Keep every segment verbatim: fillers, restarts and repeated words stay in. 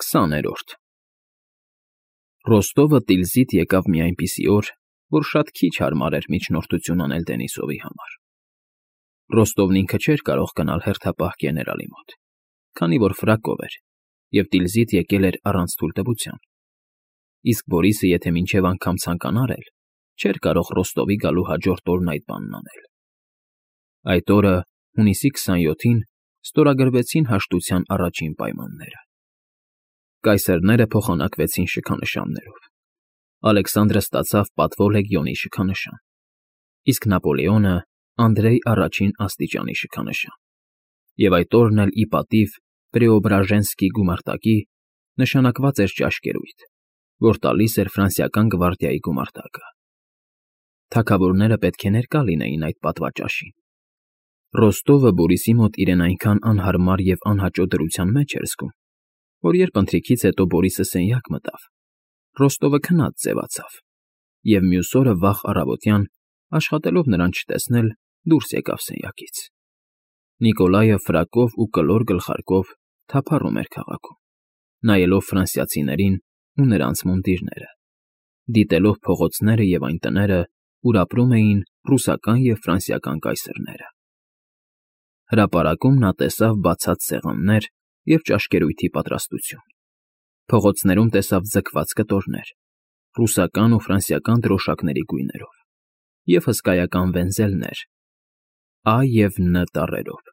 Քսաներորդ Ռոստովը տիլզիտ եկավ մի այնպիսի օր, որ շատ քիչ հարմար էր միջնորդություն անել Դենիսովի համար. Ռոստովն ինքը չէր կարող գնալ հերթապահ գեներալի մոտ, քանի որ ֆրակով էր և տիլզիտ եկել էր առանց թույլտվության, իսկ Բորիսը եթե մինչև անգամ ցանկանար էլ, չէր կարող Ռոստովի գալու հաջորդ օրն այդ բանն անել։ Այդ օրը, հունիսի քսանյոթին, ստորագրվեցին հաշտության առաջին պայմանները։ Կայսերները փոխանակվեցին շքանշաններով։ Ալեքսանդրը ստացավ պատվո լեգիոնի շքանշան, իսկ Նապոլեոնը՝ Անդրեյ առաջին աստիճանի շքանշան, և այդ օրն էլ ի պատիվ Պրեոբրաժենսկի գումարտակի նշանակված էր ճաշկերույթ, որ տալիս էր ֆրանսիական գվարդիայի գումարտակը։ Թագավորները պետք է ներկա լինեին այդ պատվաճաշին։ Ռոստովը Բորիսի մոտ իրեն այնքան անհարմար և անհաճո դրության մեջ էր զգում, որ երբ ընթրիքից հետո Բորիսը սենյակ մտավ, Ռոստովը քնած ձևացավ, և մյուս օրը վաղ առավոտյան, աշխատելով նրան չտեսնել, դուրս եկավ սենյակից։ Նիկոլայը ֆրակով ու կլոր գլխարկով թափառում էր քաղաքում, նայելով ֆրանսիացիներին ու նրանց մունդիրները, դիտելով փողոցները և այն տները, ուր ապրում էին ռուսական և ֆրանսիական կայսերները։ Հրապարակում նա տեսավ բացած սեղաններ և ճաշկերույթի պատրաստություն, փողոցներում տեսավ ձգված կտորներ, ռուսական ու ֆրանսիական դրոշակների գույներով և հսկայական վենզելներ Ա և Ն տառերով։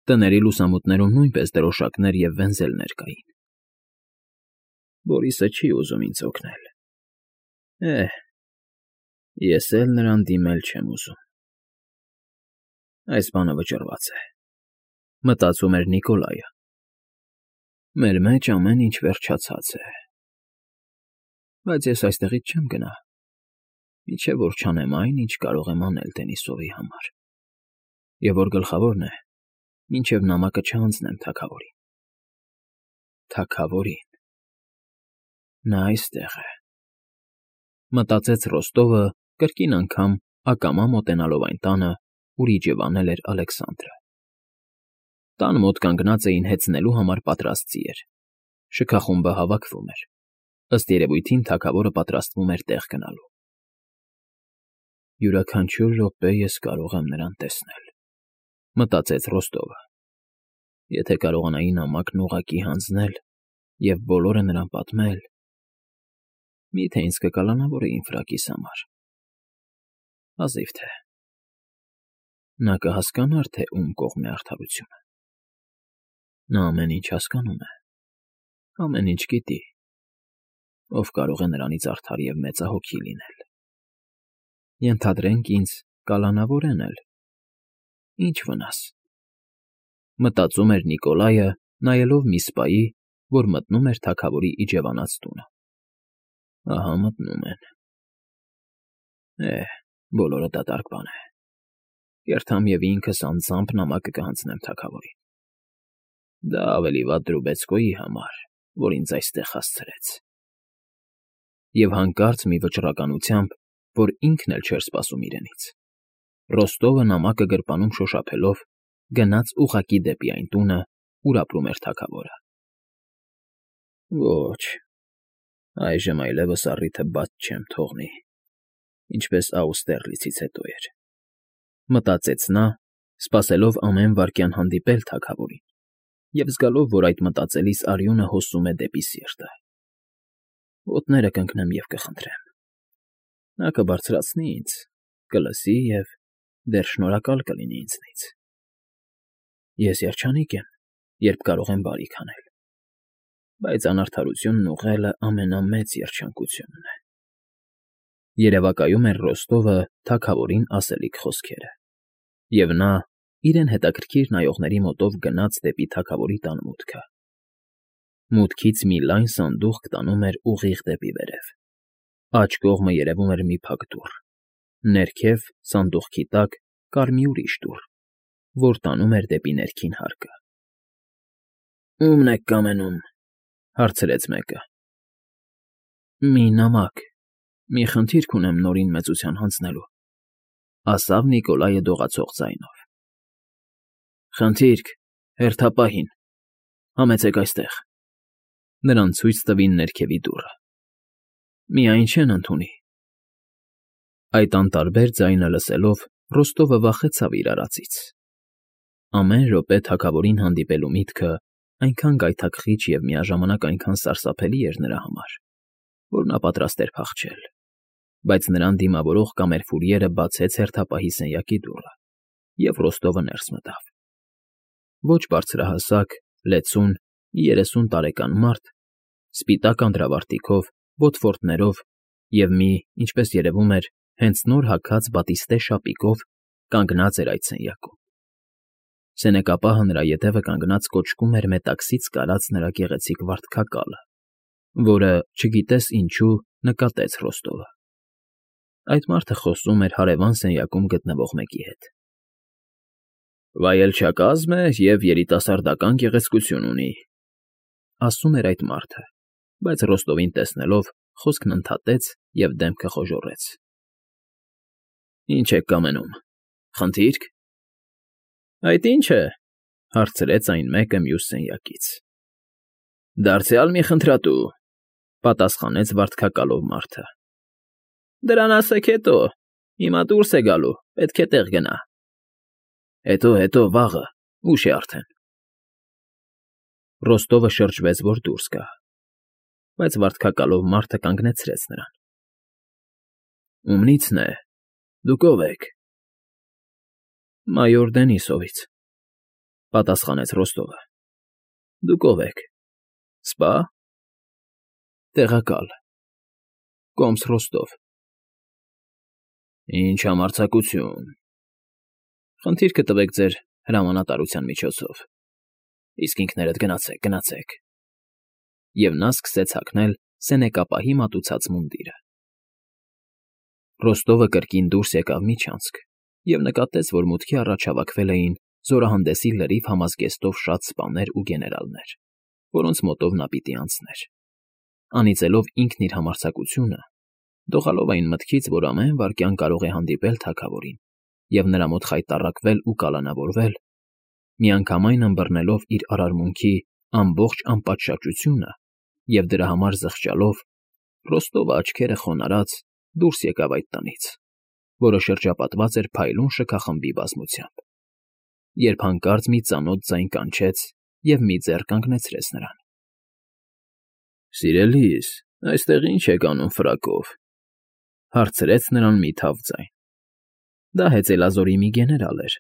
Տների լուսամուտներում նույնպես դրոշակներ և վենզելներ կային։ Բորիսը չի ուզում ինձ օգնել։ Է՜հ, ես էլ նրան դիմել չեմ ուզում։ Այս բանը վճռված է, մտածում էր Նիկոլայը։ Մեր մեջ ամեն ինչ վերջացած է։ Բայց ես այստեղից չեմ գնա, մինչև որ չանեմ այն, ինչ կարող եմ անել Դենիսովի համար, և որ գլխավորն է, մինչև նամակը չհանձնեմ թագավորին։ Թագավորին… Նա այստեղ է, մտածեց Ռոստովը, կրկին անգամ ակամա մոտենալով այն տանը, ուր իջևանել էր Ալեքսանդրը։ Տան մոտ կանգնած էին հեծնելու համար պատրաստ ձիեր, շքախումբը հավաքվում էր, ըստ երևույթին թագավորը պատրաստվում էր տեղ գնալու։ Յուրաքանչյուր րոպե ես կարող եմ նրան տեսնել, մտածեց Ռոստովը, եթե կարողանայի նամակն ուղղակի հանձնել և բոլորը նրան պատմել, մի՞թե ինձ կկալանավորեին ֆրակիս համար։ Հազիվ թե… Նա կհասկանար, թե ում կողմ է արդարությունը։ Նա ամեն ինչ հասկանում է, ամեն ինչ գիտի, ով կարող է նրանից արդար և մեծահոգի լինել։ Ենթադրենք ինձ կալանավորեն էլ, ի՞նչ վնաս, մտածում էր Նիկոլայը, նայելով մի սպայի, որ մտնում էր թագավորի իջևանած տունը։ Ահա մտնում են… Է՜հ, բոլորը դատարկ բան է, կերթամ և ինքս անձամբ նամակը կհանձնեմ թագավորին։ Դա ավելի վատ Դրուբեցկոյի համար, որ ինձ այստեղ հասցրեց։ Եվ հանկարծ մի վճռականությամբ, որ ինքն էլ չէր սպասում իրենից, Ռոստովը նամակը գրպանում շոշափելով գնաց ուղղակի դեպի այն տունը, ուր ապրում էր թագավորը։ Ոչ, այժմ այլևս առիթը բաց չեմ թողնի, ինչպես Աուստերլիցից հետո էր, մտածեց նա, սպասելով ամեն վայրկյան հանդիպել թագավորին և զգալով, որ այդ մտածելիս արյունը հոսում է դեպի սիրտը։ Ոտները կընկնեմ և կխնդրեմ։ Նա կբարձրացնի ինձ, կլսի և դեռ շնորհակալ կլինի ինձնից։ Ես երջանիկ եմ, երբ կարող եմ բարիք անել, բայց անարդարությունն ուղղելը ամենամեծ երջանկությունն է։ Երևակայում էր Ռոստովը թագավորին ասելիք խոսքերը, և նա իրեն հետաքրքիր նայողների մոտով գնաց դեպի թագավորի տան մուտքը։ Մուտքից մի լայն սանդուղք տանում էր ուղիղ դեպի վերև, աջ կողմը երևում էր մի փակ դուռ, ներքև, սանդուղքի տակ, կար մի ուրիշ դուռ, որ տանում էր դեպի ներքին հարկը։ Ո՞ւմն եք կամենում,֊ հարցրեց մեկը։ Մի նամակ, մի խնդիր կունեմ Նորին մեծության հանձնելու,֊ ասավ Նիկոլայը դողացող ձայնով։ Խնդիր՞ք, հերթապահին, համեցեք այստեղ։ նրան ցույց տվին ներքևի դուռը։ Միայն չեն ընդունի։ Այդ անտարբեր ձայնը լսելով Ռոստովը վախեցավ իր արածից։ Ամեն րոպե թագավորին հանդիպելու միտքը այնքան գայթակղիչ և միաժամանակ այնքան սարսափելի էր նրա համար, որ նա պատրաստ էր փախչել, բայց նրան դիմավորող կամերֆուրիերը բացեց հերթապահի սենյակի դուռը, և Ռոստովը ներս մտավ։ Ոչ բարձրահասակ, լեցուն, երեսուն տարեկան մարդ, սպիտակ անդրավարտիքով, բոթֆորտներով և մի, ինչպես երևում էր, հենց նոր հագած բատիստե շապիկով կանգնած էր այդ սենյակում։ Սենյակապահը նրա ետևը կանգնած կոճկում էր մետաքսից կարած նրա գեղեցիկ վարդկակալը, որը, չգիտես ինչու, նկատեց Ռոստովը։ Այդ մարդը խոսում էր հարևան սենյակում գտնվող մեկի հետ։ «Վայելչակազմ է և երիտասարդական գեղեցկություն ունի», ասում էր այդ մարդը, բայց Ռոստովին տեսնելով խոսքն ընդհատեց և դեմքը խոժոռեց։ «Ինչ եք կամենում, խնդի՞րք»։ «Այդ ի՞նչ է,֊ հարցրեց այն մեկը մյուս սենյակից։ «Դարձյալ մի խնդրատու,֊ պատասխանեց վարդկակալով մարդը։ Դրան ասեք հետո, հիմա դուրս է գալու, պետք է տեղ գնա»։ Հետո, հետո, վաղը, ուշ է արդեն։ Ռոստովը շրջվեց, որ դուրս գա, բայց վարդկակալով մարդը կանգնեցրեց նրան։ «Ումնի՞ցն է, դուք ով եք»։ «Մայոր Դենիսովից,֊ պատասխանեց Ռոստովը։ Դուք ով եք, սպա՞։ Տեղակալ, Կոմս Ռոստով։ Ինչ համարձակություն։ Խնդիրքը տվեք ձեր հրամանատարության միջոցով, իսկ ինքներդ գնացեք, գնացեք։ Եվ նա սկսեց հագնել սենյակապահի մատուցած մունդիրը։ Ռոստովը կրկին դուրս եկավ միջանցք և նկատեց, որ մուտքի առաջ հավաքվել էին զորահանդեսի լրիվ համազգեստով շատ սպաներ ու գեներալներ, որոնց մոտով նա պիտի անցներ։ Անիծելով ինքն իր համարձակությունը, դողալով այն մտքից, որ ամեն վայրկյան կարող է հանդիպել թագավորին և նրա մոտ խայտառակվել ու կալանավորվել, միանգամայն ըմբռնելով իր արարմունքի ամբողջ անպատշաճությունը և դրա համար զղջալով, Ռոստովը աչքերը խոնարհած դուրս եկավ այդ տնից, որը շրջապատված էր փայլուն շքախմբի բազմությամբ, երբ հանկարծ մի ծանոթ ձայն կանչեց և մի ձեռ կանգնեցրեց նրան։ «Սիրելիս, այստեղ ի՞նչ եք անում ֆրակով,֊ հարցրեց նրան մի թավ ձայն։ Դա հեծելազորի մի գեներալ էր,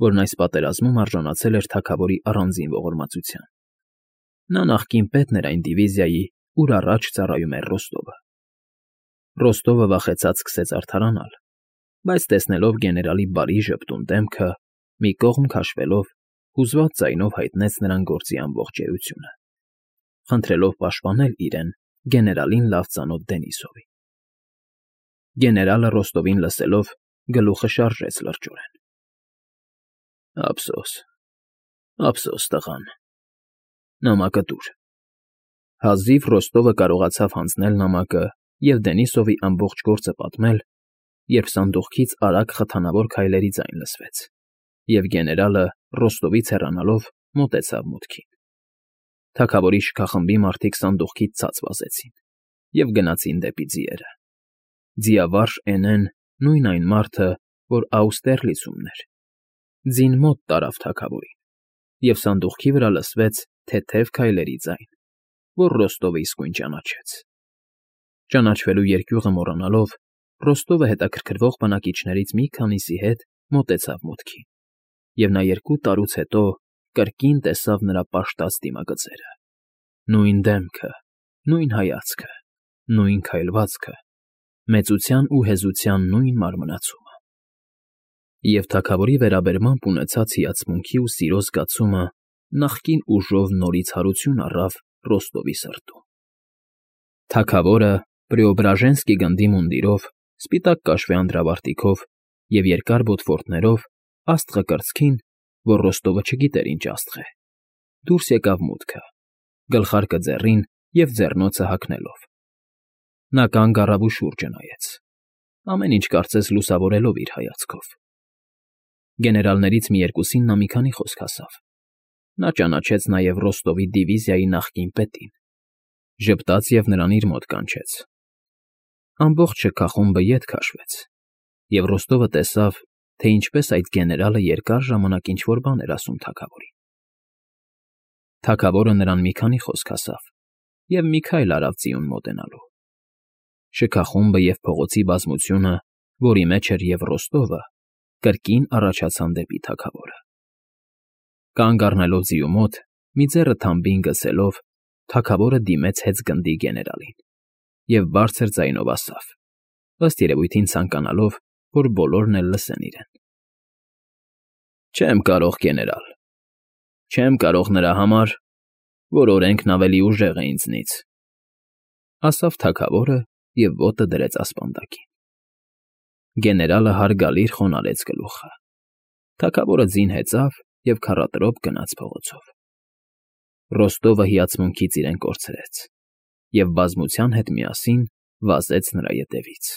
որն այս պատերազմում արժանացել էր թագավորի առանձին ողորմածության։ Նա նախկին պետն էր այն դիվիզիայի, ուր առաջ ծառայում էր Ռոստովը։ Ռոստովը վախեցած սկսեց արդարանալ, բայց տեսնելով գեներալի բարի ժպտուն դեմքը, մի կողմ քաշվելով, հուզված ձայնով հայտնեց նրան գործի ամբողջ էությունը, խնդրելով պաշտպանել իրեն գեներալին լավ ծանոթ Դենիսովին։ Գեներալը Ռոստովին լսելով գլուխը շարժեց լրջորեն։ Ափսոս, ափսոս, տղան, նամակը տուր։ Հազիվ Ռոստովը կարողացավ հանձնել նամակը և Դենիսովի ամբողջ գործը պատմել, երբ սանդուղքից արագ խթանավոր քայլերի ձայն լսվեց, և գեներալը, Ռոստովից հեռանալով, մոտեցավ մուտքին։ Թագավորի շքախմբի մարդիկ սանդուղքից ցած վազեցին և գնացին դեպի ձիերը։ Ձիավարժ Էնեն, նույն այն մարդը, որ Աուստերլիցումն էր, ձին մոտ տարավ թագավորին, և սանդուղքի վրա լսվեց թեթև քայլերի ձայն, որ Ռոստովը իսկույն ճանաչեց։ Ճանաչվելու երկյուղը մոռանալով, Ռոստովը հետաքրքրվող բնակիչներից մի քանիսի հետ մոտեցավ մուտքին, և նա երկու տարուց հետո կրկին տեսավ նրա պաշտած դիմագծերը, նույն դեմքը, նույն հայացքը, նույն քայլվածքը, մեծության ու հեզության նույն մարմնացումը։ Եվ թագավորի վերաբերմամբ ունեցած հիացմունքի ու սիրո զգացումը նախկին ուժով նորից հարություն առավ Ռոստովի սրտում։ Թագավորը Պրեոբրաժենսկի գնդի մունդիրով, սպիտակ կաշվե անդրավարտիքով և երկար բոթֆորտներով, աստղը կրծքին, որ Ռոստովը չգիտեր ինչ աստղ է, դուրս եկավ մուտքը, գլխարկը ձեռին և ձեռնոցը հագնելով։ Նա կանգ առավ ու շուրջը նայեց, ամեն ինչ կարծես լուսավորելով իր հայացքով։ Գեներալներից մի երկուսին նա մի քանի խոսք ասավ։ Նա ճանաչեց նաև Ռոստովի դիվիզիայի նախկին պետին, ժպտաց և նրան իր մոտ կանչեց։ Ամբողջ շքախումբը ետ քաշվեց, և Ռոստովը տեսավ, թե ինչպես այդ գեներալը երկար ժամանակ ինչ֊որ բան էր ասում թագավորին։ Թագավորը նրան մի քանի խոսք ասավ և մի քայլ արավ ծիուն մոտենալու։ Շքախումբը և փողոցի բազմությունը, որի մեջ էր և Ռոստովը, կրկին առաջացան դեպի թագավորը։ Կանգ առնելով ձիու մոտ, մի ձեռը թամբին գցելով, թագավորը դիմեց հեծգնդի գեներալին և բարձր ձայնով ասավ, ըստ երևույթին ցանկանալով, որ բոլորն էլ լսեն իրեն. «Չեմ կարող, գեներալ, չեմ կարող նրա համար, որ օրենքն ավելի ուժեղ է ինձնից», ֊ ասավ թագավորը և ոտը դրեց ասպանդակին։ Գեներալը հարգալից խոնարհեց գլուխը։ Թագավորը ձին հեծավ և քառատրոպ գնաց փողոցով։ Ռոստովը հիացմունքից իրեն կորցրեց և բազմության հետ միասին վազեց նրա ետևից։